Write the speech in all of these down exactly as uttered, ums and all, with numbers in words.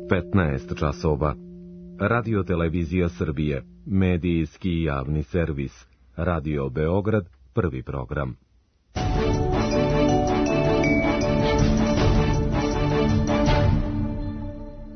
petnaest časova. Radio Televizija Srbije, medijski javni servis. Radio Beograd, prvi program.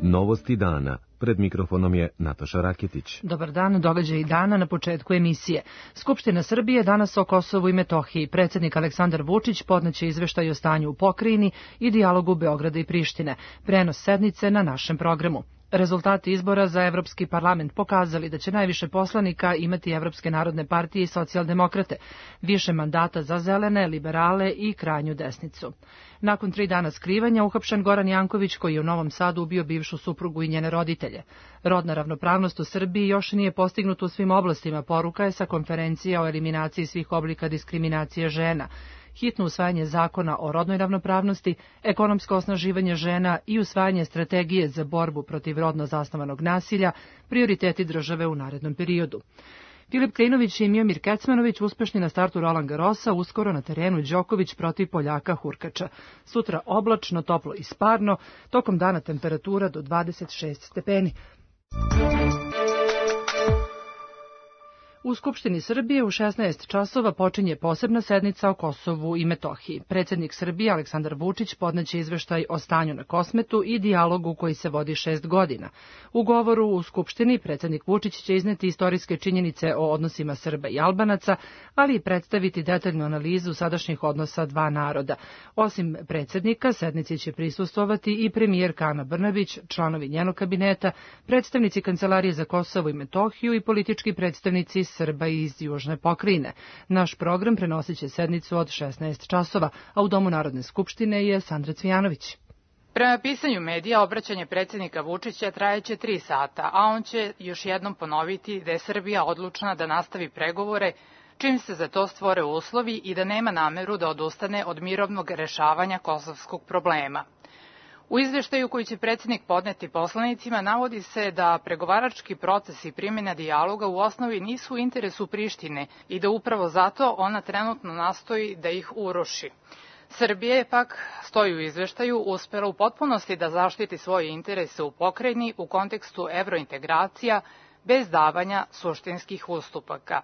Novosti dana. Pred mikrofonom je Nataša Raketić. Dobar dan, događaj dana na početku emisije. Skupština Srbije danas o Kosovu i Metohiji. Predsjednik Aleksandar Vučić podneće izveštaj o stanju u pokrajini i dijalogu Beograda i Prištine. Prenos sednice na našem programu. Rezultati izbora za Evropski parlament pokazali da će najviše poslanika imati Evropske narodne partije i socijaldemokrate, više mandata za zelene, liberale i krajnju desnicu. Nakon tri dana skrivanja uhapšen Goran Janković, koji je u Novom Sadu ubio bivšu suprugu i njene roditelje. Rodna ravnopravnost u Srbiji još nije postignuta u svim oblastima, poruka je sa konferencije o eliminaciji svih oblika diskriminacije žena. Hitno usvajanje zakona o rodnoj ravnopravnosti, ekonomsko osnaživanje žena i usvajanje strategije za borbu protiv rodno zasnovanog nasilja, prioriteti države u narednom periodu. Filip Krajinović i Miomir Kecmanović uspešni na startu Roland Garrosa, uskoro na terenu Đoković protiv Poljaka Hurkača. Sutra oblačno, toplo i sparno, tokom dana temperatura do dvadeset šest stepeni. U Skupštini Srbije u šesnaest časova počinje posebna sednica o Kosovu i Metohiji. Predsjednik Srbije Aleksandar Vučić podneće izveštaj o stanju na Kosmetu i dijalogu koji se vodi šest godina. U govoru u Skupštini predsjednik Vučić će izneti istorijske činjenice o odnosima Srba i Albanaca, ali i predstaviti detaljnu analizu sadašnjih odnosa dva naroda. Osim predsjednika, sednici će prisustvovati i premijerka Ana Brnabić, članovi njenog kabineta, predstavnici Kancelarije za Kosovo i Metohiju i politički predstavnici Srba iz južne pokrajine. Naš program prenosit će sednicu od šesnaest časova, a u Domu Narodne skupštine je Sandra Cvijanović. Prema pisanju medija, obraćanje predsjednika Vučića trajeće tri sata, a on će još jednom ponoviti da je Srbija odlučna da nastavi pregovore čim se za to stvore uslovi i da nema nameru da odustane od mirovnog rešavanja kosovskog problema. U izveštaju koji će predsjednik podneti poslanicima navodi se da pregovarački proces i primjena dijaloga u osnovi nisu u interesu Prištine i da upravo zato ona trenutno nastoji da ih uruši. Srbija je pak, stoji u izveštaju, uspela u potpunosti da zaštiti svoje interese u pokrajini u kontekstu evrointegracija bez davanja suštinskih ustupaka.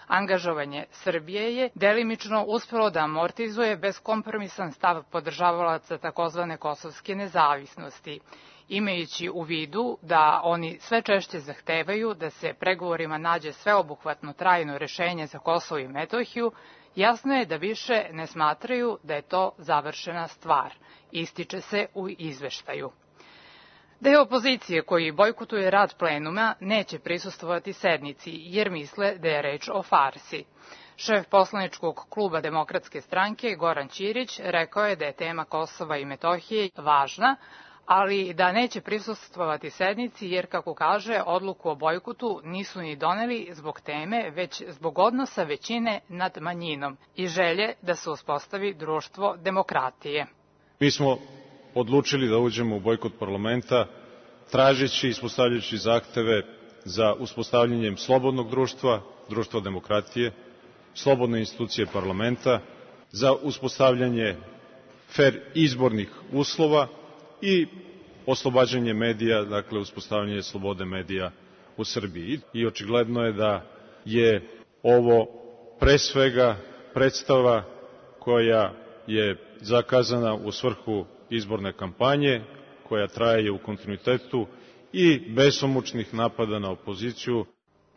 Angažovanje Srbije je delimično uspelo da amortizuje beskompromisan stav podržavalaca takozvane kosovske nezavisnosti, imajući u vidu da oni sve češće zahtevaju da se pregovorima nađe sveobuhvatno trajno rešenje za Kosovo i Metohiju. Jasno je da više ne smatraju da je to završena stvar, ističe se u izveštaju. Deo opozicije koji bojkotuje rad plenuma neće prisustvovati sednici jer misle da je reč o farsi. Šef poslaničkog kluba Demokratske stranke Goran Ćirić rekao je da je tema Kosova i Metohije važna, ali da neće prisustvovati sednici jer, kako kaže, odluku o bojkotu nisu ni doneli zbog teme, već zbog odnosa većine nad manjinom i želje da se uspostavi društvo demokratije. Mi smo odlučili da uđemo u bojkot parlamenta, tražeći i ispostavljajući zahteve za uspostavljanjem slobodnog društva, društva demokratije, slobodne institucije parlamenta, za uspostavljanje fer izbornih uslova i oslobađanje medija, dakle uspostavljanje slobode medija u Srbiji. I očigledno je da je ovo pre svega predstava koja je zakazana u svrhu izborne kampanje, koja traje u kontinuitetu i besomučnih napada na opoziciju.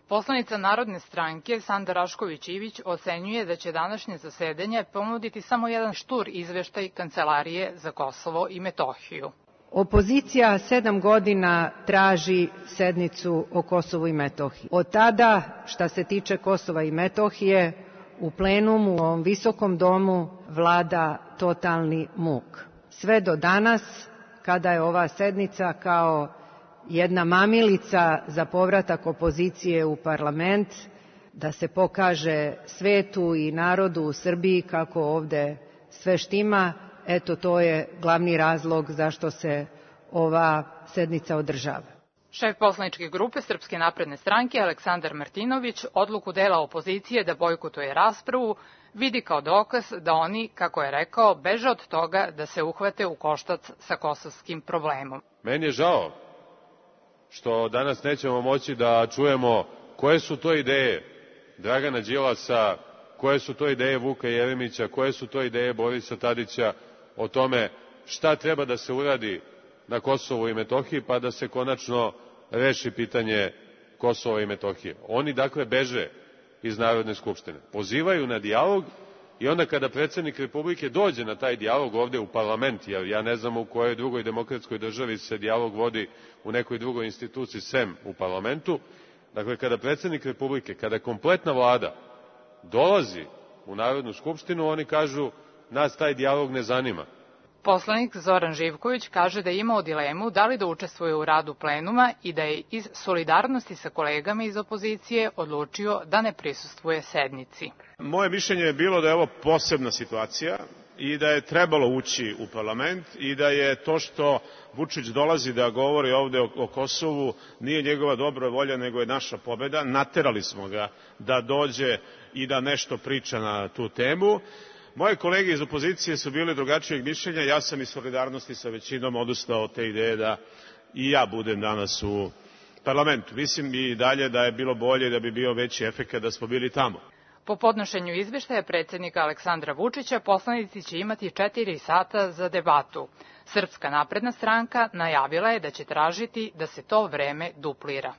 Poslanica Narodne stranke Sanda Rašković-Ivić ocenjuje da će današnje zasedanje ponuditi samo jedan štur izveštaj Kancelarije za Kosovo i Metohiju. Opozicija sedam godina traži sednicu o Kosovu i Metohiji. Od tada, šta se tiče Kosova i Metohije, u plenumu, u ovom visokom domu, vlada totalni muk. Sve do danas, kada je ova sednica kao jedna mamilica za povratak opozicije u parlament, da se pokaže svetu i narodu u Srbiji kako ovde sve štima, eto to je glavni razlog zašto se ova sednica održava. Šef poslaničke grupe Srpske napredne stranke Aleksandar Martinović odluku dela opozicije da bojkotuje raspravu vidi kao dokaz da oni, kako je rekao, beže od toga da se uhvate u koštac sa kosovskim problemom. Meni je žao što danas nećemo moći da čujemo koje su to ideje Dragana Đilasa, koje su to ideje Vuka Jeremića, koje su to ideje Borisa Tadića o tome šta treba da se uradi na Kosovu i Metohiji, pa da se konačno reši pitanje Kosova i Metohije. Oni dakle beže iz Narodne skupštine, pozivaju na dijalog i onda kada predsednik Republike dođe na taj dijalog ovde u parlament, jer ja ne znam u kojoj drugoj demokratskoj državi se dijalog vodi u nekoj drugoj instituciji sem u parlamentu, dakle kada predsednik Republike, kada kompletna vlada dolazi u Narodnu skupštinu, oni kažu nas taj dijalog ne zanima. Poslanik Zoran Živković kaže da je imao dilemu da li da učestvuje u radu plenuma i da je iz solidarnosti sa kolegama iz opozicije odlučio da ne prisustvuje sednici. Moje mišljenje je bilo da je ovo posebna situacija i da je trebalo ući u parlament i da je to što Vučić dolazi da govori ovde o, o Kosovu nije njegova dobra volja, nego je naša pobeda. Naterali smo ga da dođe i da nešto priča na tu temu. Moje kolege iz opozicije su bili drugačijeg mišljenja, ja sam iz solidarnosti sa većinom odustao od te ideje da i ja budem danas u parlamentu. Mislim i dalje da je bilo bolje, da bi bio veći efekat da smo bili tamo. Po podnošenju izveštaja predsjednika Aleksandra Vučića, poslanici će imati četiri sata za debatu. Srpska napredna stranka najavila je da će tražiti da se to vreme duplira.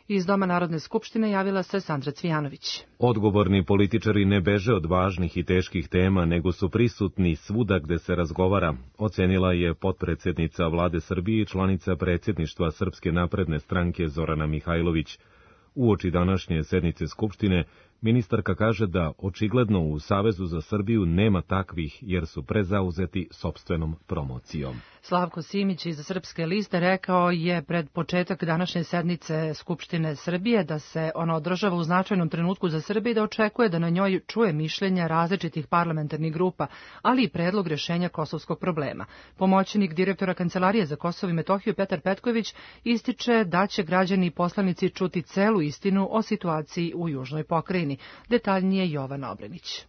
Iz Doma Narodne skupštine javila se Sandra Cvijanović. Odgovorni političari ne beže od važnih i teških tema, nego su prisutni svuda gde se razgovara, ocenila je potpredsednica Vlade Srbije i članica predsjedništva Srpske napredne stranke Zorana Mihajlović. Uoči današnje sednice Skupštine, ministarka kaže da očigledno u Savezu za Srbiju nema takvih, jer su prezauzeti sopstvenom promocijom. Slavko Simić iz Srpske liste rekao je pred početak današnje sednice Skupštine Srbije da se ona održava u značajnom trenutku za Srbiju i da očekuje da na njoj čuje mišljenja različitih parlamentarnih grupa, ali i predlog rješenja kosovskog problema. Pomoćnik direktora Kancelarije za Kosovo i Metohiju Petar Petković ističe da će građani i poslanici čuti celu istinu o situaciji u južnoj pokrajini. Detaljnije Jovana Obrenić.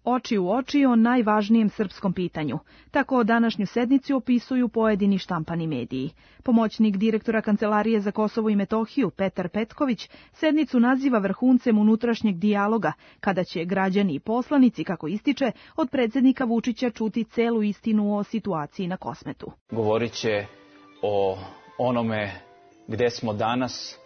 Oči u oči o najvažnijem srpskom pitanju. Tako današnju sednicu opisuju pojedini štampani mediji. Pomoćnik direktora Kancelarije za Kosovo i Metohiju Petar Petković sednicu naziva vrhuncem unutrašnjeg dijaloga, kada će građani i poslanici, kako ističe, od predsjednika Vučića čuti celu istinu o situaciji na Kosmetu. Govorit će o onome gde smo danas,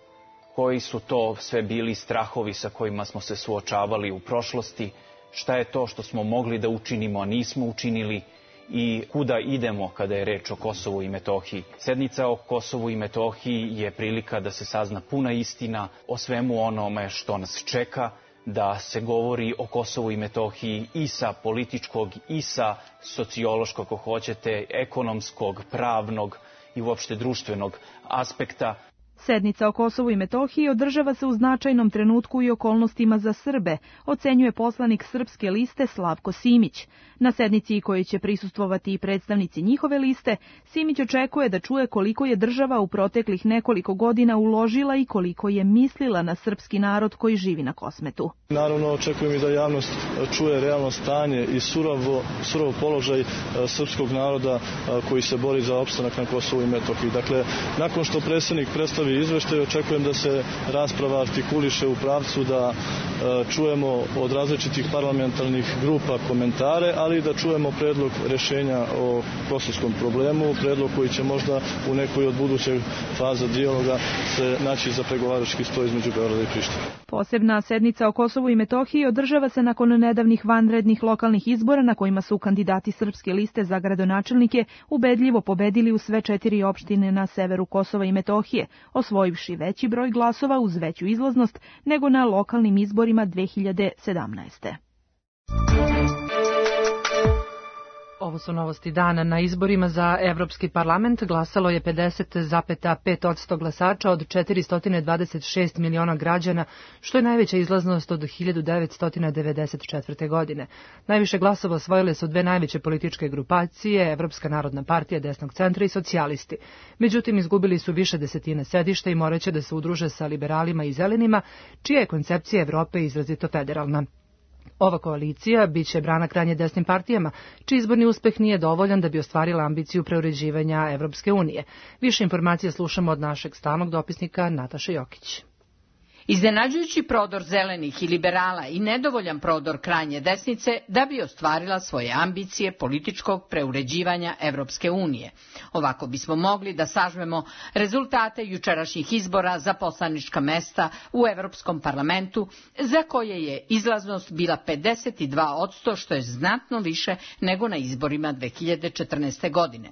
koji su to sve bili strahovi sa kojima smo se suočavali u prošlosti, šta je to što smo mogli da učinimo, a nismo učinili i kuda idemo kada je reč o Kosovu i Metohiji. Sednica o Kosovu i Metohiji je prilika da se sazna puna istina o svemu onome što nas čeka, da se govori o Kosovu i Metohiji i sa političkog i sa sociološkog, ako hoćete, ekonomskog, pravnog i uopšte društvenog aspekta. Sednica o Kosovu i Metohiji održava se u značajnom trenutku i okolnostima za Srbe, ocenjuje poslanik Srpske liste Slavko Simić. Na sednici kojoj će prisustvovati i predstavnici njihove liste, Simić očekuje da čuje koliko je država u proteklih nekoliko godina uložila i koliko je mislila na srpski narod koji živi na Kosmetu. Naravno, očekujem i da javnost čuje realno stanje i surovo, surov položaj srpskog naroda koji se bori za opstanak na Kosovu i Metohiji. Dakle, nakon što predsjednik predstavi izveštaj, očekujem da se rasprava artikuliše u pravcu da čujemo od različitih parlamentarnih grupa komentare, ali da čujemo predlog rešenja o kosovskom problemu, predlog koji će možda u nekoj od budućeg faza dijaloga se naći za pregovarački sto između Beograda i Prištine. Posebna sednica o Kosovu i Metohiji održava se nakon nedavnih vanrednih lokalnih izbora na kojima su kandidati Srpske liste za gradonačelnike ubedljivo pobedili u sve četiri opštine na severu Kosova i Metohije, osvojivši veći broj glasova uz veću izlaznost nego na lokalnim izborima dve hiljade sedamnaeste. Ovo su novosti dana. Na izborima za Evropski parlament glasalo je pedeset zarez pet posto glasača od četiristo dvadeset šest miliona građana, što je najveća izlaznost od hiljadu devetsto devedeset četvrte. godine. Najviše glasova osvojile su dve najveće političke grupacije, Evropska narodna partija desnog centra i socijalisti. Međutim, izgubili su više desetina sedišta i moraće da se udruže sa liberalima i zelenima, čija je koncepcija Evrope izrazito federalna. Ova koalicija biće brana krajnje desnim partijama, čiji izborni uspeh nije dovoljan da bi ostvarila ambiciju preuređivanja Evropske unije. Više informacija slušamo od našeg stalnog dopisnika Nataše Jokić. Iznenađujući prodor zelenih i liberala i nedovoljan prodor krajnje desnice da bi ostvarila svoje ambicije političkog preuređivanja Evropske unije. Ovako bismo mogli da sažmemo rezultate jučerašnjih izbora za poslanička mesta u Evropskom parlamentu, za koje je izlaznost bila pedeset dva posto, što je znatno više nego na izborima dve hiljade četrnaeste. godine.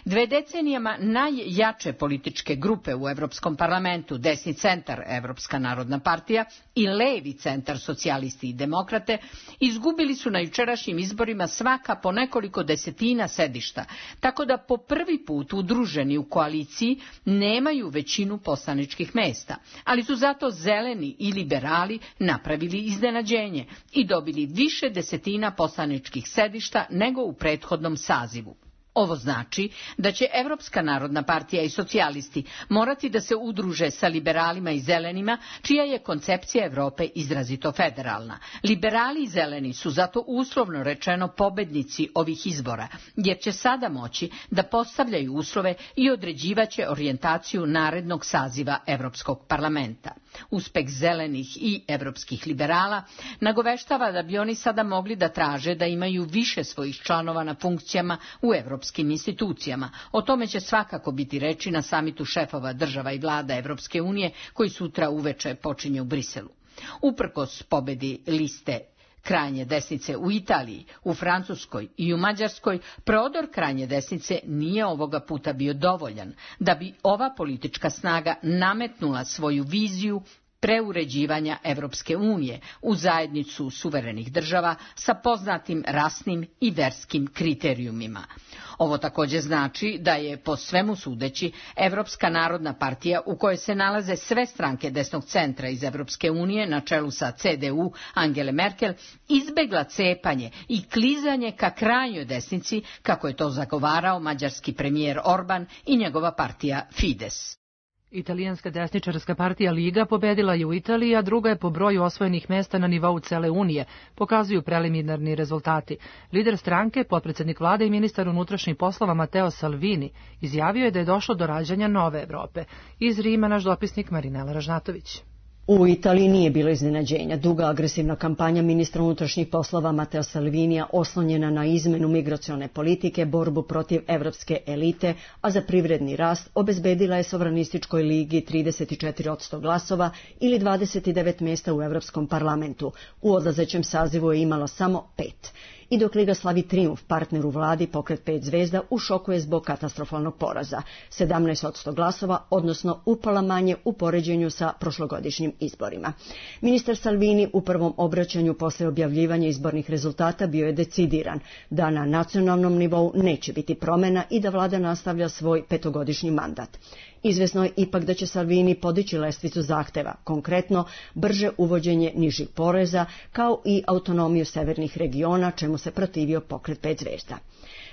Dve decenijama najjače političke grupe u Evropskom parlamentu, desni centar Evropska narodna partija i levi centar socijalisti i demokrate, izgubili su na jučerašnjim izborima svaka po nekoliko desetina sedišta, tako da po prvi put udruženi u koaliciji nemaju većinu poslaničkih mesta, ali su zato zeleni i liberali napravili iznenađenje i dobili više desetina poslaničkih sedišta nego u prethodnom sazivu. Ovo znači da će Evropska narodna partija i socijalisti morati da se udruže sa liberalima i zelenima, čija je koncepcija Evrope izrazito federalna. Liberali i zeleni su zato uslovno rečeno pobednici ovih izbora, jer će sada moći da postavljaju uslove i određivaće orijentaciju narednog saziva Evropskog parlamenta. Uspeh zelenih i evropskih liberala nagoveštava da bi oni sada mogli da traže da imaju više svojih članova na funkcijama u evropskim institucijama. O tome će svakako biti reči na samitu šefova država i vlada Evropske unije koji sutra uveče počinje u Briselu. Uprkos pobedi liste krajnje desnice u Italiji, u Francuskoj i u Mađarskoj, prodor krajnje desnice nije ovoga puta bio dovoljan da bi ova politička snaga nametnula svoju viziju preuređivanja Evropske unije u zajednicu suverenih država sa poznatim rasnim i verskim kriterijumima. Ovo također znači da je, po svemu sudeći, Evropska narodna partija, u kojoj se nalaze sve stranke desnog centra iz Evropske unije na čelu sa C D U Angele Merkel, izbegla cepanje i klizanje ka krajnjoj desnici, kako je to zagovarao mađarski premijer Orban i njegova partija Fides. Italijanska desničarska partija Liga pobedila je u Italiji, a druga je po broju osvojenih mesta na nivou cele Unije, pokazuju preliminarni rezultati. Lider stranke, potpredsednik vlade i ministar unutrašnjih poslova Matteo Salvini, izjavio je da je došlo do rađanja nove Evrope. Iz Rima naš dopisnik Marinela Ražnatović. U Italiji nije bilo iznenađenja. Duga agresivna kampanja ministra unutrašnjih poslova Matteo Salvinija oslonjena na izmenu migracione politike, borbu protiv evropske elite, a za privredni rast obezbedila je Sovranističkoj ligi trideset četiri posto glasova ili dvadeset devet mesta u Evropskom parlamentu. U odlazećem sazivu je imalo samo pet. I dok Liga slavi trijumf, partner u vladi, Pokret pet zvezda, u šoku je zbog katastrofalnog poraza. sedamnaest posto glasova, odnosno upala manje u poređenju sa prošlogodišnjim izborima. Ministar Salvini u prvom obraćanju posle objavljivanja izbornih rezultata bio je decidiran da na nacionalnom nivou neće biti promena i da vlada nastavlja svoj petogodišnji mandat. Izvesno je ipak da će Salvini podići lestvicu zahteva, konkretno brže uvođenje nižih poreza, kao i autonomiju severnih regiona, čemu se protivio Pokret pet zvezda.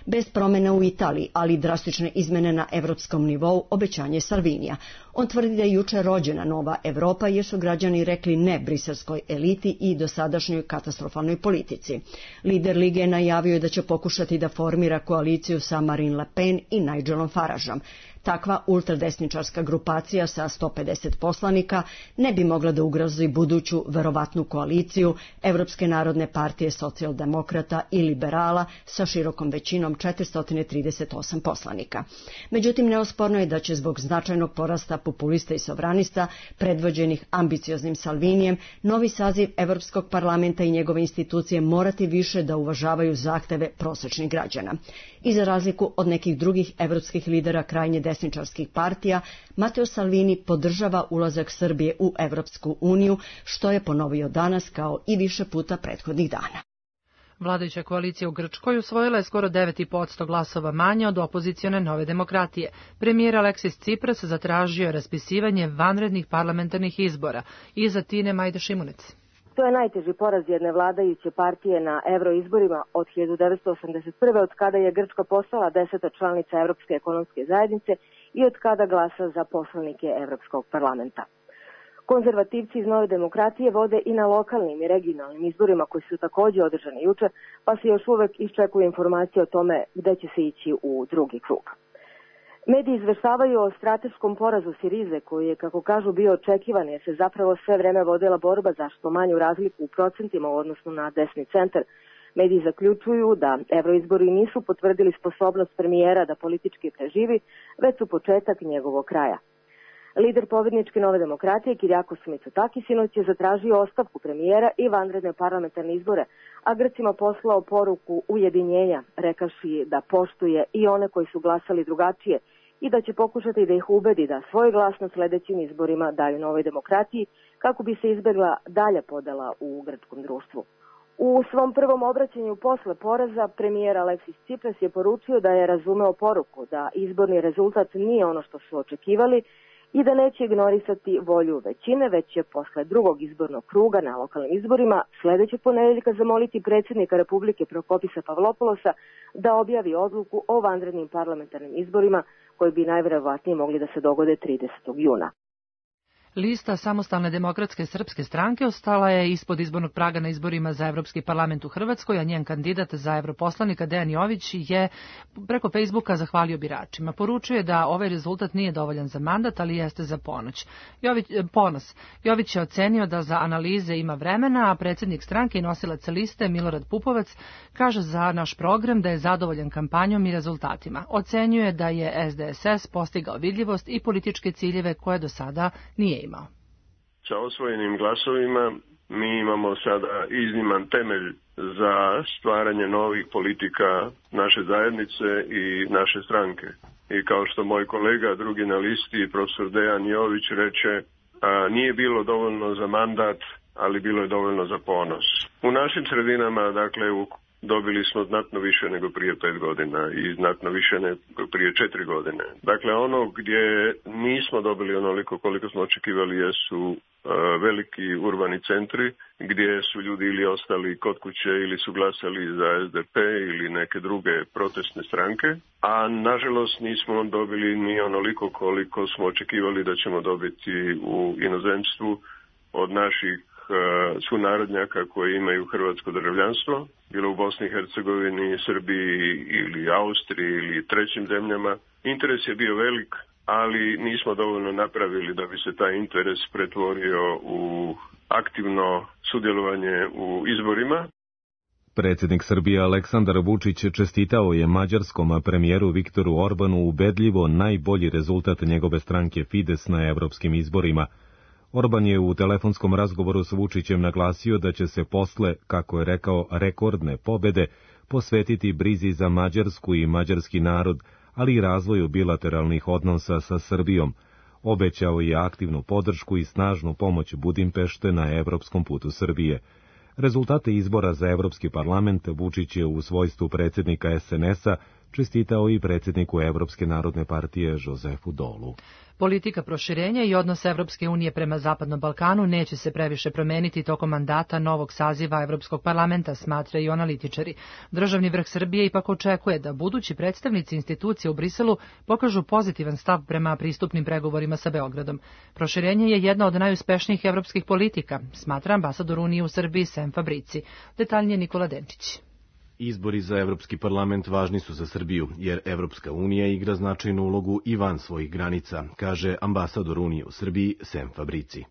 Bez promena u Italiji, ali drastične izmene na evropskom nivou, obećanje Salvinija. On tvrdi da je juče rođena nova Evropa jer su građani rekli ne briselskoj eliti i dosadašnjoj katastrofalnoj politici. Lider Lige najavio da će pokušati da formira koaliciju sa Marine Le Pen i Nigelom Farageom. Takva ultradesničarska grupacija sa sto pedeset poslanika ne bi mogla da ugrozi buduću verovatnu koaliciju Evropske narodne partije socijaldemokrata i liberala sa širokom većinom četiristo trideset osam poslanika. Međutim, neosporno je da će zbog značajnog porasta populista i sovranista, predvođenih ambicioznim Salvinijem, novi saziv Evropskog parlamenta i njegove institucije morati više da uvažavaju zahteve prosečnih građana. I za razliku od nekih drugih evropskih lidera krajnje desničarskih partija, Matteo Salvini podržava ulazak Srbije u Evropsku uniju, što je ponovio danas kao i više puta prethodnih dana. Vladajuća koalicija u Grčkoj usvojila je skoro devet zarez pet posto glasova manje od opozicione Nove demokratije. Premijer Aleksis Tsipras zatražio je raspisivanje vanrednih parlamentarnih izbora. Iza Tine Majda Šimunec. To je najteži poraz jedne vladajuće partije na evroizborima od hiljadu devetsto osamdeset prve. od kada je Grčka postala deseta članica Evropske ekonomske zajednice i od kada glasa za poslanike Evropskog parlamenta. Konzervativci iz Nove demokratije vode i na lokalnim i regionalnim izborima koji su takođe održani juče, pa se još uvek iščekuje informacije o tome gde će se ići u drugi krug. Mediji izveštavaju o strateškom porazu Sirize, koji je, kako kažu, bio očekivan, jer se zapravo sve vreme vodila borba za što manju razliku u procentima u odnosu na desni centar. Mediji zaključuju da evroizbori nisu potvrdili sposobnost premijera da politički preživi, već su početak njegovog kraja. Lider pobedničke Nove demokratije Kyriakos Mitsotakis sinoć je zatražio ostavku premijera i vanredne parlamentarne izbore, a Grcima poslao poruku ujedinjenja, rekavši da poštuje i one koji su glasali drugačije i da će pokušati da ih ubedi da svoj glas na sledećim izborima daju Novoj demokratiji kako bi se izbegla dalja podela u grčkom društvu. U svom prvom obraćanju posle poraza premijer Aleksis Tsipras je poručio da je razumeo poruku da izborni rezultat nije ono što su očekivali i da neće ignorisati volju većine, već će posle drugog izbornog kruga na lokalnim izborima sledećeg ponedeljka zamoliti predsjednika Republike Prokopisa Pavlopoulosa da objavi odluku o vanrednim parlamentarnim izborima koji bi najverovatnije mogli da se dogode tridesetog juna. Lista Samostalne demokratske srpske stranke ostala je ispod izbornog praga na izborima za Evropski parlament u Hrvatskoj, a njen kandidat za evroposlanika Dejan Jović je preko Facebooka zahvalio biračima. Poručuje da ovaj rezultat nije dovoljan za mandat, ali jeste za ponoć. Jović, ponos. Jović je ocenio da za analize ima vremena, a predsjednik stranke i nosilac liste Milorad Pupovac kaže za naš program da je zadovoljan kampanjom i rezultatima. Ocenjuje da je S D S S postigao vidljivost i političke ciljeve koje do sada nije imao. Sa osvojenim glasovima mi imamo sada izniman temelj za stvaranje novih politika naše zajednice i naše stranke. I kao što moj kolega, drugi na listi, profesor Dejan Jović, reče, a, nije bilo dovoljno za mandat, ali bilo je dovoljno za ponos. U našim sredinama, dakle, u dobili smo znatno više nego prije pet godina i znatno više nego prije četiri godine. Dakle, ono gdje nismo dobili onoliko koliko smo očekivali jesu uh, veliki urbani centri, gdje su ljudi ili ostali kod kuće ili su glasali za S D P ili neke druge protestne stranke, a nažalost nismo dobili ni onoliko koliko smo očekivali da ćemo dobiti u inozemstvu od naših sunarodnjaka koji imaju hrvatsko državljanstvo, bilo u Bosni i Hercegovini, Srbiji ili Austriji ili trećim zemljama. Interes je bio velik, ali nismo dovoljno napravili da bi se taj interes pretvorio u aktivno sudjelovanje u izborima. Predsjednik Srbije Aleksandar Vučić čestitao je mađarskom premijeru Viktoru Orbanu ubedljivo najbolji rezultat njegove stranke Fides na evropskim izborima. Orban je u telefonskom razgovoru s Vučićem naglasio da će se posle, kako je rekao, rekordne pobede posvetiti brizi za Mađarsku i mađarski narod, ali i razvoju bilateralnih odnosa sa Srbijom. Obećao je aktivnu podršku i snažnu pomoć Budimpešte na evropskom putu Srbije. Rezultate izbora za Evropski parlament Vučić je u svojstvu predsjednika S N S-a čestitao i predsjedniku Evropske narodne partije Jozefu Dolu. Politika proširenja i odnos Evropske unije prema Zapadnom Balkanu neće se previše promeniti tokom mandata novog saziva Evropskog parlamenta, smatraju analitičari. Državni vrh Srbije ipak očekuje da budući predstavnici institucija u Briselu pokažu pozitivan stav prema pristupnim pregovorima sa Beogradom. Proširenje je jedna od najuspešnijih evropskih politika, smatra ambasador Unije u Srbiji Sem Fabrici. Detaljnije Nikola Denčić. Izbori za Evropski parlament važni su za Srbiju, jer Evropska unija igra značajnu ulogu i van svojih granica, kaže ambasador Unije u Srbiji Sem Fabrici.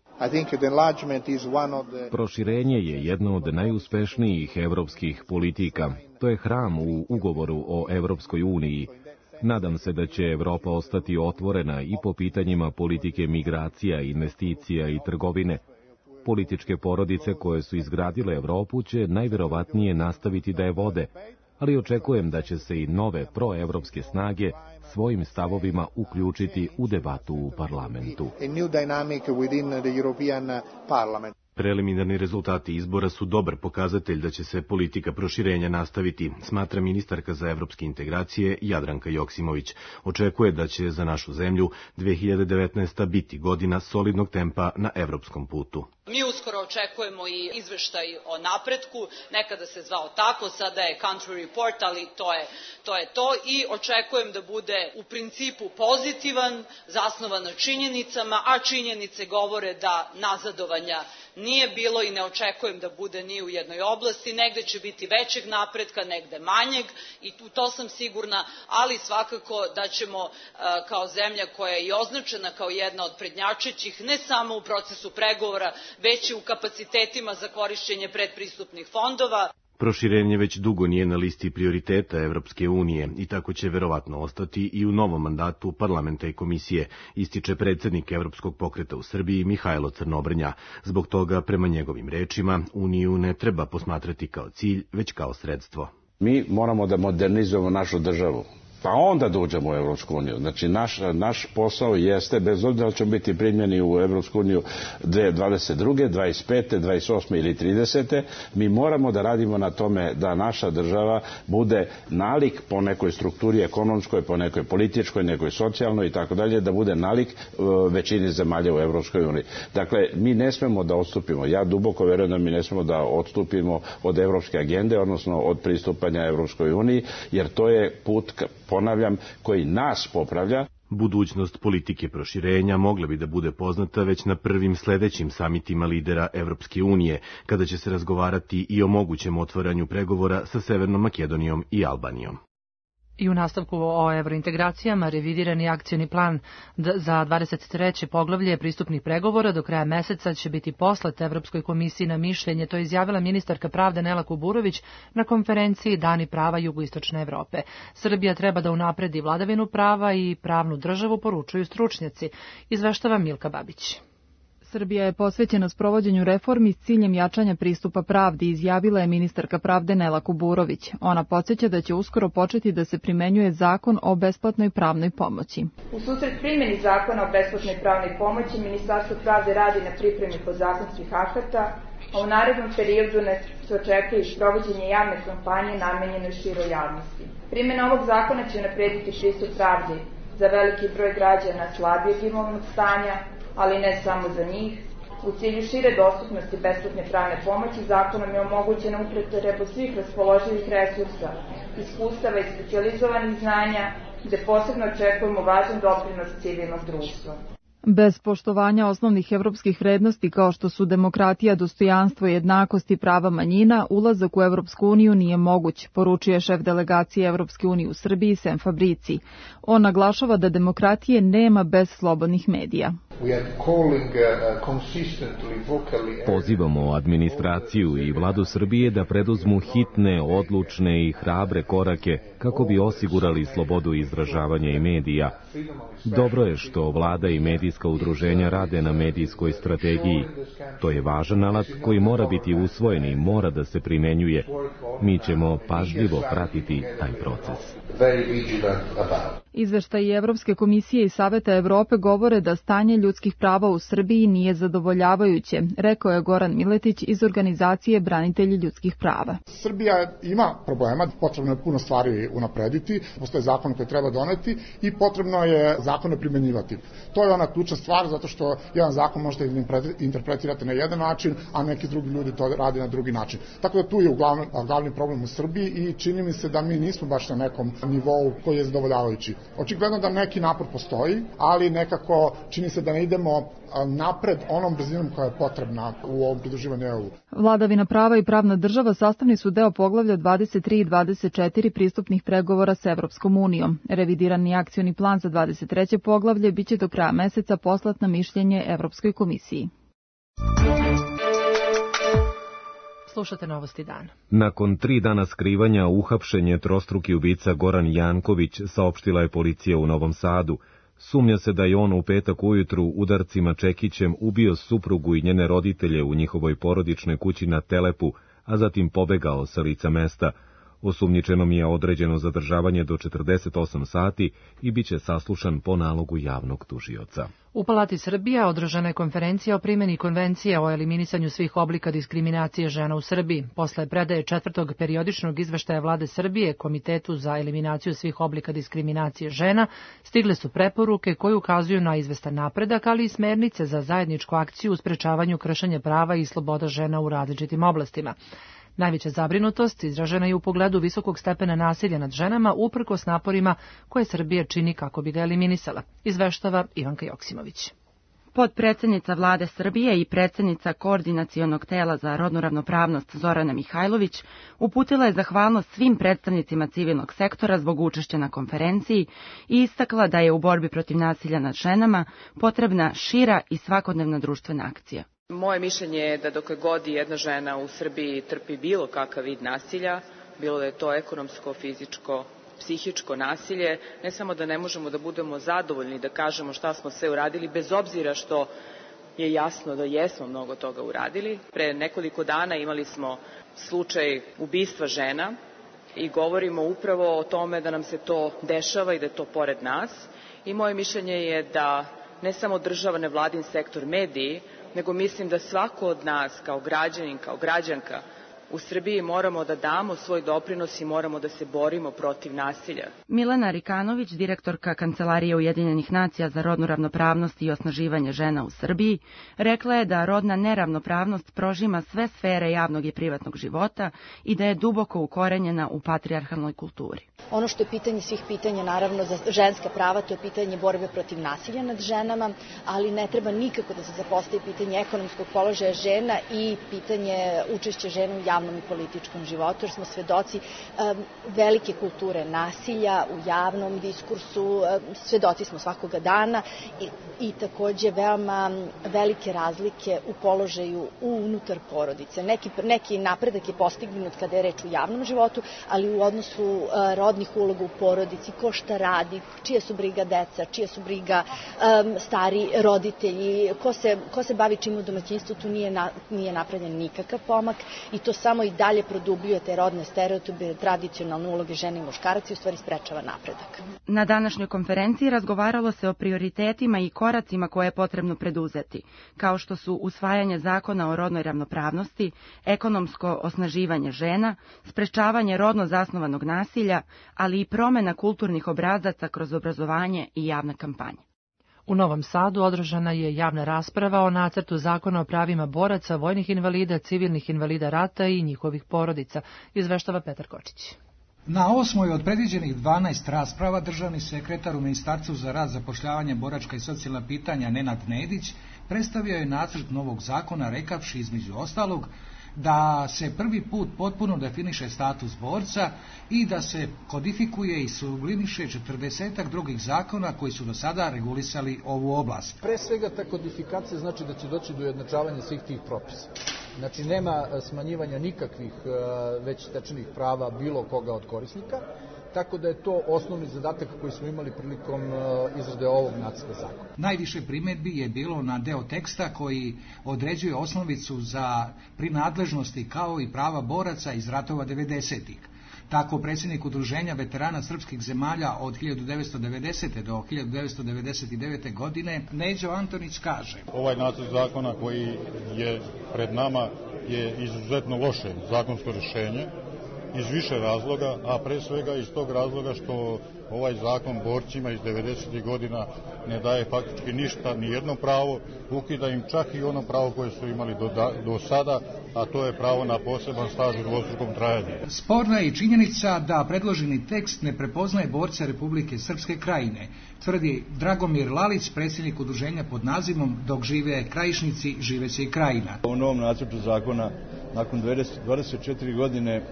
Proširenje je jedno od najuspešnijih evropskih politika. To je hram u ugovoru o Evropskoj uniji. Nadam se da će Evropa ostati otvorena i po pitanjima politike migracija, investicija i trgovine. Političke porodice koje su izgradile Evropu će najverovatnije nastaviti da je vode, ali očekujem da će se i nove proevropske snage svojim stavovima uključiti u debatu u parlamentu. Preliminarni rezultati izbora su dobar pokazatelj da će se politika proširenja nastaviti, smatra ministarka za evropske integracije Jadranka Joksimović. Očekuje da će za našu zemlju dve hiljade devetnaesta. biti godina solidnog tempa na evropskom putu. Mi uskoro očekujemo i izveštaj o napretku, nekada se zvao tako, sada je country report, ali to je to, je to. I očekujem da bude u principu pozitivan, zasnovan na činjenicama, a činjenice govore da nazadovanja nije bilo i ne očekujem da bude ni u jednoj oblasti, negde će biti većeg napretka, negde manjeg i u to sam sigurna, ali svakako da ćemo kao zemlja koja je i označena kao jedna od prednjačećih, ne samo u procesu pregovora, već i u kapacitetima za korišćenje predpristupnih fondova. Proširenje već dugo nije na listi prioriteta Evropske unije i tako će verovatno ostati i u novom mandatu parlamenta i komisije, ističe predsednik Evropskog pokreta u Srbiji Mihajlo Crnobrnja. Zbog toga, prema njegovim rečima, Uniju ne treba posmatrati kao cilj, već kao sredstvo. Mi moramo da modernizujemo našu državu, pa onda da uđemo u Evropsku uniju. Znači, naš, naš posao jeste, bez obzira da ćemo biti primljeni u Evropsku uniju dve hiljade dvadeset druge, dvadeset pete, dvadeset osme ili tridesete, mi moramo da radimo na tome da naša država bude nalik po nekoj strukturi ekonomskoj, po nekoj političkoj, nekoj socijalnoj i tako dalje, da bude nalik većini zemalja u Evropskoj uniji. Dakle, mi ne smemo da odstupimo. Ja duboko verujem da mi ne smemo da odstupimo od evropske agende, odnosno od pristupanja Evropskoj uniji, jer to je put ka, ponavljam, koji nas popravlja. Budućnost politike proširenja mogla bi da bude poznata već na prvim sledećim samitima lidera Evropske unije, kada će se razgovarati i o mogućem otvaranju pregovora sa Severnom Makedonijom i Albanijom. I u nastavku o evrointegracijama revidirani akcioni plan za dvadeset treće poglavlje pristupnih pregovora do kraja meseca će biti poslat Evropskoj komisiji na mišljenje, to je izjavila ministarka pravde Nela Kuburović na konferenciji Dani prava jugoistočne Evrope. Srbija treba da unapredi vladavinu prava i pravnu državu, poručuju stručnjaci, izveštava Milka Babić. Srbija je posvećena sprovođenju reformi s ciljem jačanja pristupa pravdi, izjavila je ministarka pravde Nela Kuburović. Ona podsjeća da će uskoro početi da se primenjuje zakon o besplatnoj pravnoj pomoći. U susret primjeni zakona o besplatnoj pravnoj pomoći, Ministarstvo pravde radi na pripremi podzakonskih akata, a u narednom periodu se očekuje i sprovođenje javne kampanje namenjene široj javnosti. Primjena ovog zakona će unaprediti pristup pravdi za veliki broj građana slabijeg imovnog stanja, ali ne samo za njih. U cilju šire dostupnosti besplatne pravne pomoći zakonom je omogućena upotreba svih raspoloživih resursa, iskustava i specijalizovanih znanja, gde posebno očekujemo važan doprinos civilnog društva. Bez poštovanja osnovnih evropskih vrednosti kao što su demokratija, dostojanstvo i jednakost i prava manjina, ulazak u Evropsku uniju nije moguć, poručuje šef delegacije Evropske unije u Srbiji Sem Fabrici. On naglašava da demokratije nema bez slobodnih medija. Pozivamo administraciju i vladu Srbije da preduzmu hitne, odlučne i hrabre korake kako bi osigurali slobodu izražavanja i medija. Dobro je što vlada i medijska udruženja rade na medijskoj strategiji. To je važan alat koji mora biti usvojen i mora da se primenjuje. Mi ćemo pažljivo pratiti taj proces. Izveštaji Evropske komisije i Saveta Evrope govore da stanje ljudskih prava u Srbiji nije zadovoljavajuće, rekao je Goran Miletić iz organizacije Branitelji ljudskih prava. Srbija ima problema, potrebno je puno stvari unaprediti, postoje zakon koji treba doneti i potrebno je zakone primenjivati. To je ona ključna stvar, zato što jedan zakon možete interpretirati na jedan način, a neki drugi ljudi to rade na drugi način. Tako da tu je uglavnom, glavni problem u Srbiji i čini mi se da mi nismo baš na nekom nivou koji je zadovoljavajući. Očigledno da neki napor postoji, ali nekako čini se da ne idemo napred onom brzinom koja je potrebna u ovom pridruživanju E U. Vladavina prava i pravna država sastavni su deo poglavlja dvadeset tri i dvadeset četiri pristupnih pregovora s Evropskom unijom. Revidirani akcioni plan za dvadeset treće poglavlje biće do kraja meseca poslat na mišljenje Evropskoj komisiji. Slušate novosti dana. Nakon tri dana skrivanja uhapšen je trostruki ubica Goran Janković, saopštila je policija u Novom Sadu. Sumnja se da je on u petak ujutru udarcima čekićem ubio suprugu i njene roditelje u njihovoj porodičnoj kući na Telepu, a zatim pobegao sa lica mesta. Osumnjičenom je određeno zadržavanje do četrdeset osam sati i bit će saslušan po nalogu javnog tužioca. U Palati Srbije održana je konferencija o primjeni Konvencije o eliminisanju svih oblika diskriminacije žena u Srbiji. Posle predaje četvrtog periodičnog izveštaja Vlade Srbije Komitetu za eliminaciju svih oblika diskriminacije žena stigle su preporuke koje ukazuju na izvestan napredak, ali i smernice za zajedničku akciju u sprečavanju kršenja prava i sloboda žena u različitim oblastima. Najveća zabrinutost izražena je u pogledu visokog stepena nasilja nad ženama uprkos naporima koje Srbija čini kako bi ga eliminisala, izveštava Ivanka Joksimović. Potpredsednica Vlade Srbije i predsednica Koordinacionog tela za rodnu ravnopravnost Zorana Mihajlović uputila je zahvalnost svim predstavnicima civilnog sektora zbog učešća na konferenciji i istakla da je u borbi protiv nasilja nad ženama potrebna šira i svakodnevna društvena akcija. Moje mišljenje je da dokle god jedna žena u Srbiji trpi bilo kakav vid nasilja, bilo da je to ekonomsko, fizičko, psihičko nasilje, ne samo da ne možemo da budemo zadovoljni da kažemo šta smo sve uradili, bez obzira što je jasno da jesmo mnogo toga uradili. Pre nekoliko dana imali smo slučaj ubistva žena i govorimo upravo o tome da nam se to dešava i da je to pored nas. I moje mišljenje je da ne samo država, nevladin sektor, mediji, nego mislim da svako od nas kao građanin, kao građanka u Srbiji moramo da damo svoj doprinos i moramo da se borimo protiv nasilja. Milena Rikanović, direktorka Kancelarije Ujedinjenih nacija za rodnu ravnopravnost i osnaživanje žena u Srbiji, rekla je da rodna neravnopravnost prožima sve sfere javnog i privatnog života i da je duboko ukorenjena u patrijarhalnoj kulturi. Ono što je pitanje svih pitanja, naravno, za ženska prava, to je pitanje borbe protiv nasilja nad ženama, ali ne treba nikako da se zapostavi pitanje ekonomskog položaja žena i pitanje učešća žena u javnom i političkom životu, jer smo svedoci um, velike kulture nasilja u javnom diskursu, um, svedoci smo svakoga dana i, i takođe veoma velike razlike u položaju unutar porodice. Neki, neki napredak je postignut kada je reč u javnom životu, ali u odnosu uh, rodnih uloga u porodici, ko šta radi, čija su briga deca, čija su briga um, stari roditelji, ko se, ko se bavi čim u domaćinstvu, tu nije, na, nije napravljen nikakav pomak i to samo i dalje produbljuje te rodne stereotipe, tradicionalne uloge žene i muškaraca i u stvari sprečava napredak. Na današnjoj konferenciji razgovaralo se o prioritetima i koracima koje je potrebno preduzeti, kao što su usvajanje zakona o rodnoj ravnopravnosti, ekonomsko osnaživanje žena, sprečavanje rodno zasnovanog nasilja, ali i promena kulturnih obrazaca kroz obrazovanje i javne kampanje. U Novom Sadu održana je javna rasprava o nacrtu zakona o pravima boraca, vojnih invalida, civilnih invalida rata i njihovih porodica, izveštava Petar Kočić. Na osmoj od predviđenih dvanaest rasprava državni sekretar u Ministarstvu za rad, zapošljavanje, boračka i socijalna pitanja Nenad Nedić predstavio je nacrt novog zakona rekavši između ostalog da se prvi put potpuno definiše status borca i da se kodifikuje i sublimiše četrdesetak drugih zakona koji su do sada regulisali ovu oblast. Pre svega ta kodifikacija znači da će doći do ujednačavanja svih tih propisa. Znači nema smanjivanja nikakvih već stečenih prava bilo koga od korisnika, tako da je to osnovni zadatak koji smo imali prilikom izrade ovog nacrta zakona. Najviše primedbi je bilo na deo teksta koji određuje osnovicu za prinadležnosti kao i prava boraca iz ratova devedesetih. Tako predsjednik Udruženja veterana srpskih zemalja od hiljadu devetsto devedesete. do hiljadu devetsto devedeset devete. godine Neđo Antonić kaže: Ovaj nacrt zakona koji je pred nama je izuzetno loše zakonsko rješenje iz više razloga, a pre svega iz tog razloga što ovaj zakon borcima iz devedesetih godina ne daje faktički ništa, ni jedno pravo, ukida im čak i ono pravo koje su imali do, da, do sada, a to je pravo na poseban staž u dvostrukom trajanju. Sporna je i činjenica da predloženi tekst ne prepoznaje borce Republike Srpske Krajine, tvrdi Dragomir Lalić, predsjednik udruženja pod nazivom Dok žive Krajišnici, živeće i Krajina. U novom nacrtu zakona, nakon dvadeset četiri godine,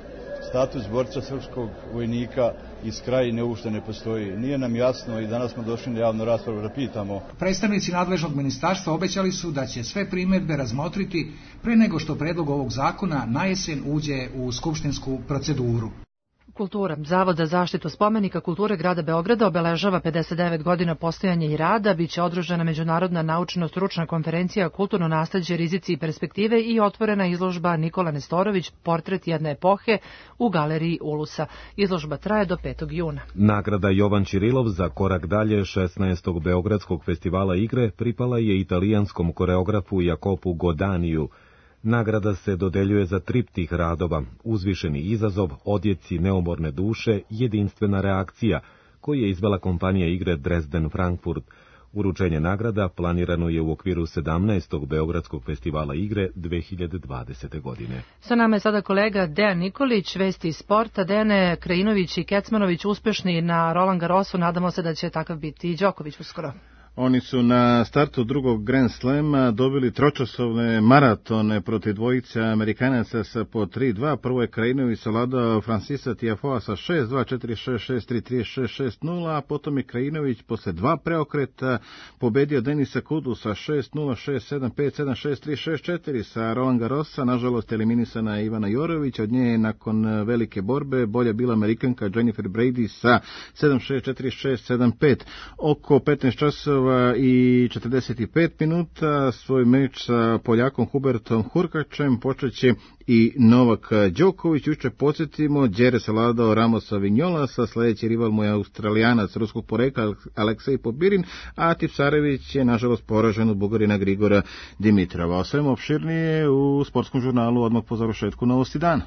status borca srpskog vojnika iz Krajine uopšte ne postoji. Nije nam jasno i danas smo došli na javnu raspravu da pitamo. Predstavnici nadležnog ministarstva obećali su da će sve primjedbe razmotriti pre nego što predlog ovog zakona na jesen uđe u skupštinsku proceduru. Kultura. Zavod za zaštitu spomenika kulture grada Beograda obeležava pedeset devet godina postojanja i rada, biće održana međunarodna naučno-stručna konferencija Kulturno nasleđe, rizici i perspektive i otvorena izložba Nikola Nestorović, portret jedne epohe u galeriji Ulusa. Izložba traje do petog juna. Nagrada Jovan Čirilov za korak dalje šesnaestog Beogradskog festivala igre pripala je italijanskom koreografu Jakopu Godaniju. Nagrada se dodeljuje za triptih radova, uzvišeni izazov, odjeci neumorne duše, jedinstvena reakcija, koju je izvela kompanija igre Dresden Frankfurt. Uručenje nagrada planirano je u okviru sedamnaestog Beogradskog festivala igre dve hiljade dvadesete. godine. Sa nama je sada kolega Dejan Nikolić, vesti iz sporta. Dejane, Krajinović i Kecmanović uspešni na Roland Garrosu, nadamo se da će takav biti i Đoković uskoro. Oni su na startu drugog Grand Slema dobili tročasovne maratone protiv dvojice Amerikanaca sa po tri dva. Prvo je Krajinović savladao Francisa Tiafoa sa šest dva, četiri šest, šest tri, tri šest, šest nula, a potom je Krajinović posle dva preokreta pobedio Denisa Kudu sa šest nula, šest sedam, pet sedam, šest tri, šest četiri. Sa Roland Garrosa, nažalost, eliminisana je Ivana Jorović. Od nje je nakon velike borbe bolja bila Amerikanka Jennifer Brady sa sedam šest, četiri šest, sedam pet. Oko petnaest časova i četrdeset pet minuta svoj meč sa Poljakom Hubertom Hurkačem počeće i Novak Đoković. Juče podsjetimo, Đere savladao Ramosa Vignolasa, sledeći rival mu je Australijanac ruskog porekla Aleksej Popirin, a Tipsarević je nažalost poražen od Bugarina Grigora Dimitrova. O svemu opširnije u sportskom žurnalu odmah po završetku Novosti dana.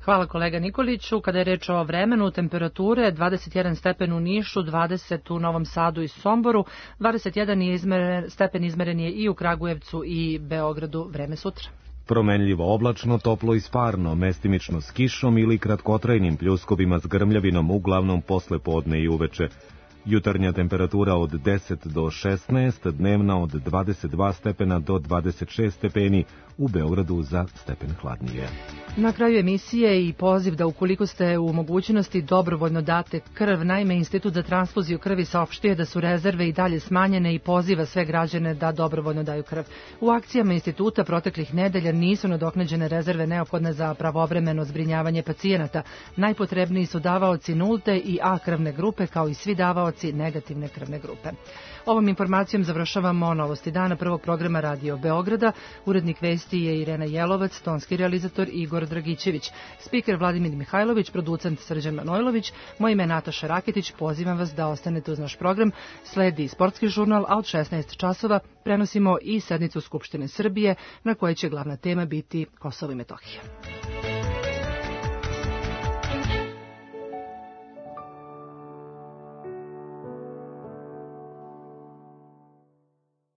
Hvala kolega Nikoliću. Kada je reč o vremenu, temperature dvadeset jedan stepen u Nišu, dvadeset u Novom Sadu i Somboru, dvadeset jedan je izmeren, stepen izmeren je i u Kragujevcu i Beogradu. Vreme sutra. Promenljivo oblačno, toplo i sparno, mestimično s kišom ili kratkotrajnim pljuskovima s grmljavinom, uglavnom posle podne i uveče. Jutarnja temperatura od deset do šesnaest, dnevna od dvadeset dva stepena do dvadeset šest stepeni, u Beogradu za stepen hladnije. Na kraju emisije i poziv da ukoliko ste u mogućnosti dobrovoljno date krv. Naime, Institut za transfuziju krvi saopštuje da su rezerve i dalje smanjene i poziva sve građane da dobrovoljno daju krv. U akcijama instituta proteklih nedelja nisu nadoknađene rezerve neophodne za pravovremeno zbrinjavanje pacijenata. Najpotrebniji su davaoci nulte i A krvne grupe, kao i svi davaoci negativne krvne grupe. Ovom informacijom završavamo Novosti dana prvog programa Radio Beograda. Urednik vesti je Irena Jelovac, tonski realizator Igor Dragićević, spiker Vladimir Mihajlović, producent Srđan Manojlović. Moje ime je Nataša Raketić, pozivam vas da ostanete uz naš program. Sledi sportski žurnal, a od šesnaest časova prenosimo i sednicu Skupštine Srbije, na kojoj će glavna tema biti Kosovo i Metohija.